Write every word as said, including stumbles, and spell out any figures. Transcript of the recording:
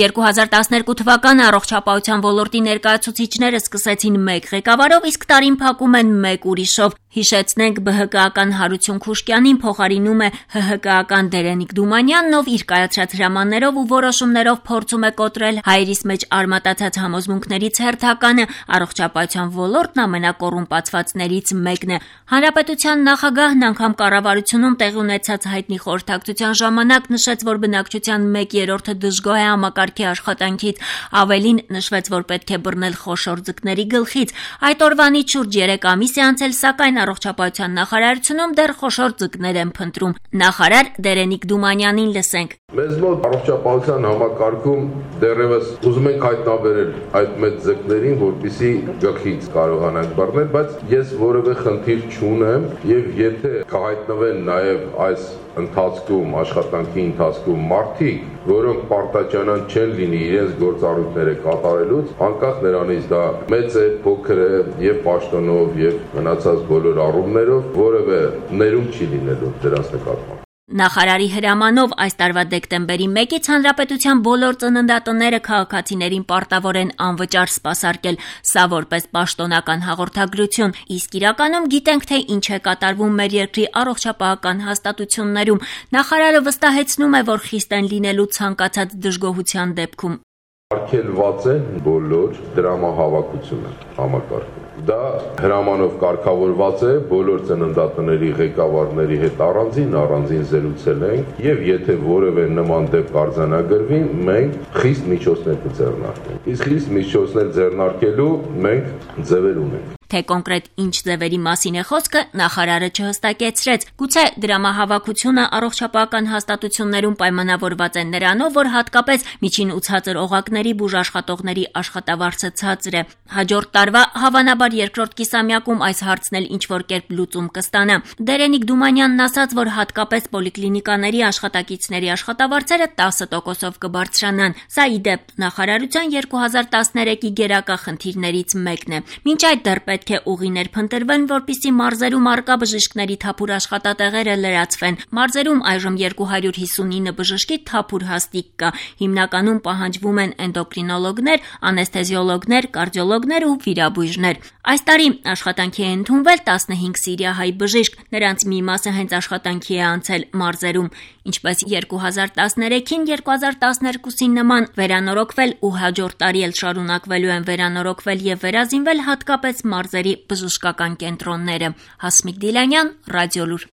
երկու հազար տասներկու թվականը առողջապահության ոլորտի ներկայացուցիչները սկսեցին մեկ ղեկավարով, իսկ տարին փակում են մեկ ուրիշով։ Հիշեցնենք, ԲՀԿ-ական Հարություն Խուշկյանին փոխարինում է ՀՀԿ-ական Դերենիկ Դումանյանն, ով իր կայացրած հրամաններով ու որոշումներով փորձում է կոտրել հայերիս մեջ արմատացած համոզմունքներից հերթականը։ Առողջապահության ոլորտն ամենակոռումպացվածներից մեկն է։ Հանրապետության նախագահն անգամ կառավարությունում տեղի ունեցած հայտնի խորհրդակցության ժամանակ նշեց, որ բնակչության մեկ երրորդը դժգոհ է համակարգի աշխատանքից, ավելին նշվեց, որ պետք է բռնել խոշոր ձկների գլխից։ Այդ օրվանից շուրջ երեք ամիս է անցել, սակայն առողջապահության նախարարությունում դեռ խոշոր ձկներ են փնտրում։ Նախարար Դերենիկ Դումանյանին լսենք։ Մեզ մոտ առողջապահության համակարգում դեռևս ուզում ենք հայտնաբերել այդ մեծ ձկներին, որպեսզի գլխից կարողանանք բռնել, բայց ես որևէ խնդիր չունեմ, եւ եթե կհայտնվեն նաեւ այս ընթացքում, աշխատանքի ընթացքում մարդիկ, որոնք պարտաճանան չեն լինի իրենց գործառույթները կատարելուց, անկախ նրանից դա մեծ է, փոքր է եւ պաշտոնով եւ մնացած բոլոր առումներով որևէ ներում չի լինելու դրանց նկատմամբ։ Նախարարի հրամանով այս տարվա դեկտեմբերի մեկից հանրապետության բոլոր ծննդատները քաղաքացիներին պարտավոր են անվճար սպասարկել, սա որպես պաշտոնական հաղորդագրություն, իսկ իրականում գիտենք, թե ինչ է կատարվում մեր երկրի առողջապահական հաստատություններում։ Նախարարը վստահեցնում է, որ խիստ են լինելու ցանկացած դժգոհության դեպքում։ Արգելված է բոլոր դրամահավաքությունը համակարգում։ Դա հրամանով կարգավորված է, բոլոր ծննդատների ղեկավարների հետ առանձին առանձին զրուցել ենք եւ եթե որևէ նման դեպք արձանագրվի, մենք խիստ միջոցներ կձեռնարկենք։ Իսկ խիստ միջոցներ ձեռնարկելու մենք ձևեր ունենք։ Թե կոնկրետ ինչ ձևերի մասին է խոսքը, նախարարը չհստակեցրեց։ Գուցե դրամահավաքությունը առողջապահական հաստատություններում պայմանավորված է նրանով, որ հատկապես միջին ու ցածր օղակների բուժաշխատողների աշխատավարձը ցածր է։ Հաջորդ տարվա հավանաբար երկրորդ կիսամյակում այս հարցն էլ ինչ-որ կերպ լուծում կստանա։ Դերենիկ Դումանյանն ասաց, որ հատկապես պոլիկլինիկաների աշխատակիցների աշխատավարձերը տասը տոկոսով կբարձրանան։ Սա ի դեպ նախարարության երկու հազար տասներեքի գերակա խնդիրներից մեկն է։ Մինչ այդ դեռ պետք է ուղիներ փնտրվեն, որպեսզի մարզերում առկա բժիշկների թափուր աշխատատեղերը լրացվեն։ Մարզերում այժմ երկու հարյուր հիսունինը բժշկի թափուր հաստիք կա։ Հիմնականում պահանջվում են էնդոկրինոլոգներ, անեսթեզիոլոգներ, կարդիոլոգներ ու վիրաբույժներ։ Այս տարի աշխատանքի է ընդունվել տասնհինգ սիրիահայ բժիշկ, նրանց մի մասը հենց աշխատանքի է անցել մարզերում։ Ինչպես երկու հազար տասներեքին, երկու հազար տասներկուսին նման վերանորոգվել ու հաջորդ տարի էլ շարունակվելու են վերանորոգվել եւ վերազինվել հատկապես մարզերի բժշկական կենտրոնները։ Հասմիկ Դիլանյան, Ռադիոլուր։